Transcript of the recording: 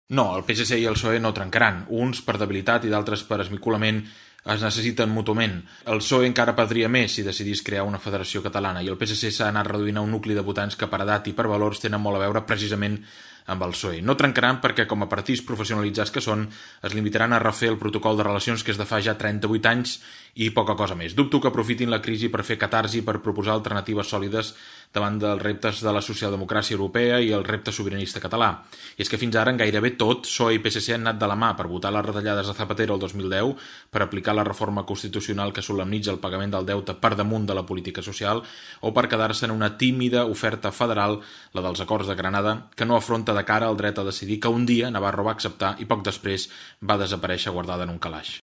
No, el PSC i el PSOE no trencaran. Uns per debilitat i d'altres per esmicolament es necessiten mútuament. El PSOE encara perdria més si decidís crear una federació catalana i el PSC s'ha anat reduint a un nucli de votants que per edat i per valors tenen molt a veure precisament amb el PSOE. No trencaran perquè, com a partits professionalitzats que són, es limitaran a refer el protocol de relacions que és de fa ja 38 anys i poca cosa més. Dubto que aprofitin la crisi per fer catarsi, per proposar alternatives sòlides davant dels reptes de la socialdemocràcia europea i el repte sobiranista català. I és que fins ara en gairebé tot, PSOE i PSC han anat de la mà per votar les retallades de Zapatero el 2010, per aplicar la reforma constitucional que solemnitza el pagament del deute per damunt de la política social o per quedar-se en una tímida oferta federal, la dels acords de Granada, que no afronta de cara al dret a decidir que un dia Navarro va acceptar i poc després va desaparèixer guardada en un calaix.